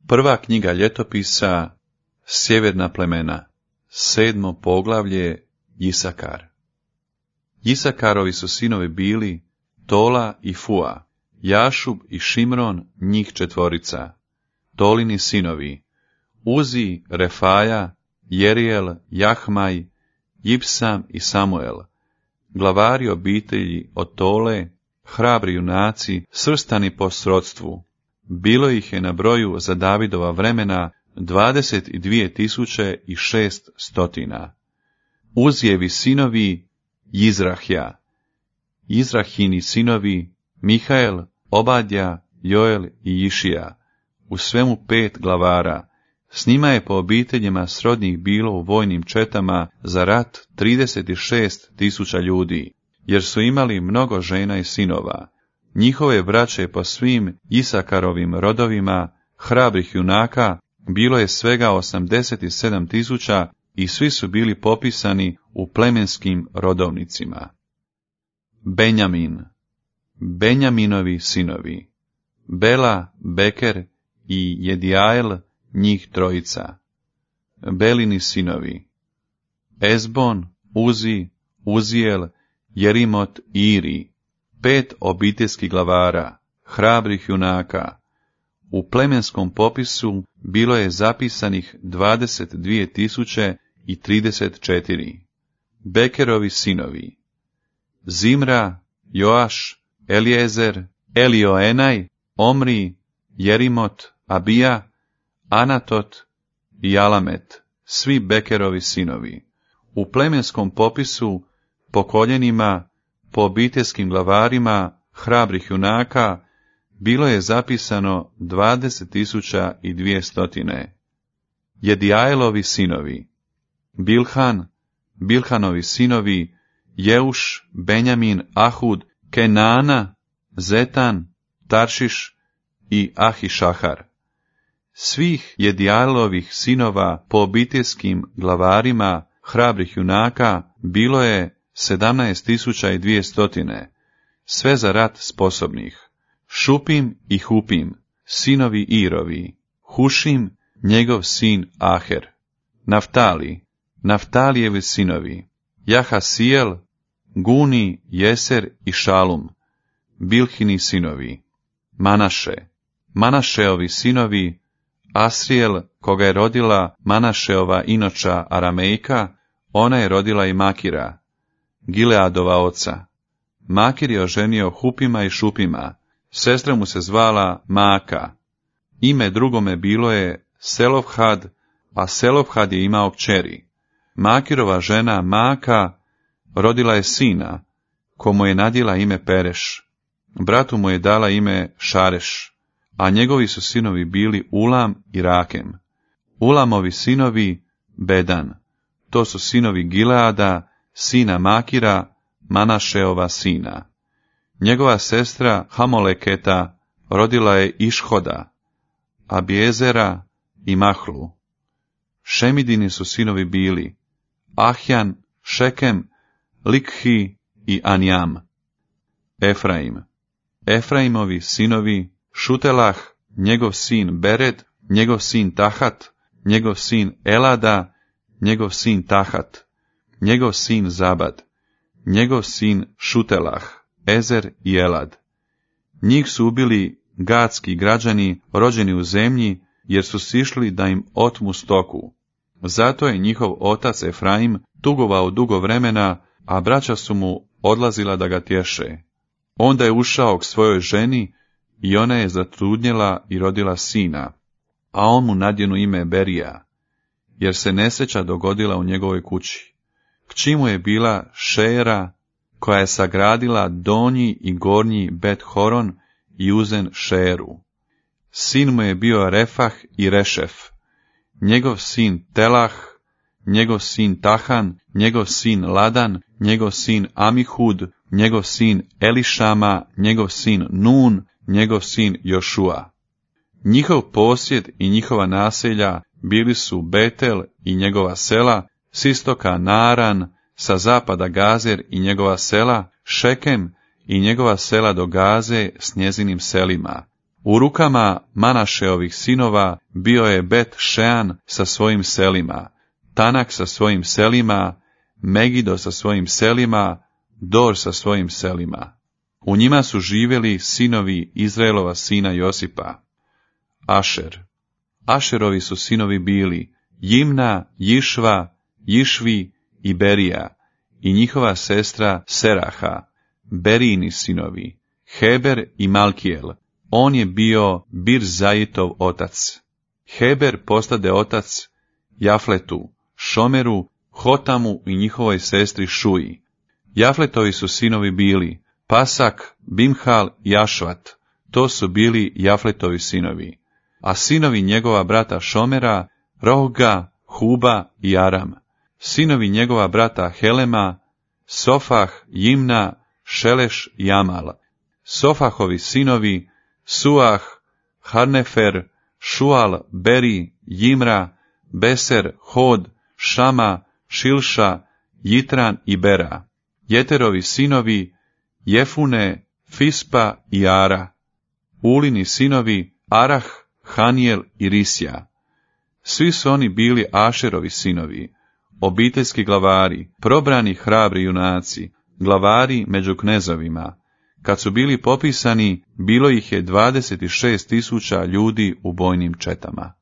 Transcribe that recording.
Prva knjiga ljetopisa, sjeverna plemena, 7. poglavlje, Isakar. Isakarovi su sinovi bili Tola i Fua, Jašub i Šimron, njih 4. Tolini sinovi, Uzi, Refaja, Jerijel, Jahmaj, Jipsam i Samuel, glavari obitelji od Tole, hrabri junaci, svrstani po srodstvu. Bilo ih je na broju za Davidova vremena 22.600. Uzijevi sinovi, Jizrahja, Jizrahini sinovi, Mihael, Obadja, Joel i Išija, u svemu 5 glavara. S njima je po obiteljima srodnih bilo u vojnim četama za rat 36.000 ljudi, jer su imali mnogo žena i sinova. Njihove braće po svim Isakarovim rodovima, hrabrih junaka, bilo je svega 87.000 i svi su bili popisani u plemenskim rodovnicima. Benjamin, Benjaminovi sinovi, Bela, Beker i Jedijael, njih 3. Belini sinovi, Ezbon, Uzi, Uzijel, Jerimot i Iri, 5 obiteljskih glavara, hrabrih junaka. U plemenskom popisu bilo je zapisanih 22.034. Bekerovi sinovi, Zimra, Joaš, Eliezer, Elioenaj, Omri, Jerimot, Abija, Anatot i Alamet, svi Bekerovi sinovi. U plemenskom popisu, po koljenima, po obiteljskim glavarima, hrabrih junaka, bilo je zapisano 20.200. Jedijaelovi sinovi, Bilhan, Bilhanovi sinovi, Jeuš, Benjamin, Ahud, Kenana, Zetan, Taršiš i Ahišahar. Svih Jedijaelovih sinova po obiteljskim glavarima, hrabrih junaka, bilo je 17.200, sve za rat sposobnih. Šupim i Hupim, sinovi Irovi, Hušim, njegov sin Aher. Naftali, Naftalijevi sinovi, Jahasijel, Guni, Jeser i Šalum, Bilhini sinovi. Manaše, Manašeovi sinovi, Asrijel, koga je rodila Manašeova inoča Aramejka, ona je rodila i Makira, Gileadova oca. Makir je oženio Hupima i Šupima, sestra mu se zvala Maaka. Ime drugome bilo je Selofhad, a Selofhad je imao kćeri. Makirova žena Maaka rodila je sina, komu je nadjela ime Pereš. Bratu mu je dala ime Šareš, a njegovi su sinovi bili Ulam i Rakem. Ulamovi sinovi Bedan, to su sinovi Gileada, sina Makira, Manašeova sina. Njegova sestra Hamoleketa rodila je Išhoda, Abiezera i Mahlu. Šemidini su sinovi bili Ahjan, Šekem, Likhi i Anjam. Efraim, Efraimovi sinovi Šutelah, njegov sin Bered, njegov sin Tahat, njegov sin Elada, njegov sin Tahat, njegov sin Zabad, njegov sin Šutelah, Ezer i Elad. Njih su ubili gadski građani rođeni u zemlji, jer su sišli da im otmu stoku. Zato je njihov otac Efraim tugovao dugo vremena, a braća su mu odlazila da ga tješe. Onda je ušao k svojoj ženi i ona je zatrudnjela i rodila sina, a on mu nadjenu ime Berija, jer se nesreća dogodila u njegovoj kući. Kći mu je bila Šera, koja je sagradila donji i gornji Bet Horon i uzen Šeru. Sin mu je bio Refah i Rešef, njegov sin Telah, njegov sin Tahan, njegov sin Ladan, njegov sin Amihud, njegov sin Elišama, njegov sin Nun, njegov sin Jošua. Njihov posjed i njihova naselja bili su Betel i njegova sela, s istoka Naran, sa zapada Gazer i njegova sela, Šekem i njegova sela do Gaze s njezinim selima, U rukama Manašeovih sinova bio je Bet Šean sa svojim selima, Tanak sa svojim selima, Megido sa svojim selima, Dor sa svojim selima. U njima su živjeli sinovi Izraelova sina Josipa. Ašer. Ašerovi su sinovi bili Jimna, Jišva, Jišvi i Berija, i njihova sestra Seraha, Berijini sinovi, Heber i Malkijel. On je bio Birzajitov otac. Heber postade otac Jafletu, Šomeru, Hotamu i njihovoj sestri Šuji. Jafletovi su sinovi bili Pasak, Bimhal i Ašvat. To su bili Jafletovi sinovi. A sinovi njegova brata Šomera, Rohga, Huba i Aram. Sinovi njegova brata Helema, Sofah, Jimna, Šeleš i Amal. Sofahovi sinovi, Suah, Harnefer, Šual, Beri, Jimra, Beser, Hod, Šama, Šilša, Jitran i Bera. Jeterovi sinovi, Jefune, Fispa i Ara. Ulini sinovi, Arah, Hanijel i Risja. Svi su oni bili Ašerovi sinovi, obiteljski glavari, probrani hrabri junaci, glavari među knezovima. Kad su bili popisani, bilo ih je 26.000 ljudi u bojnim četama.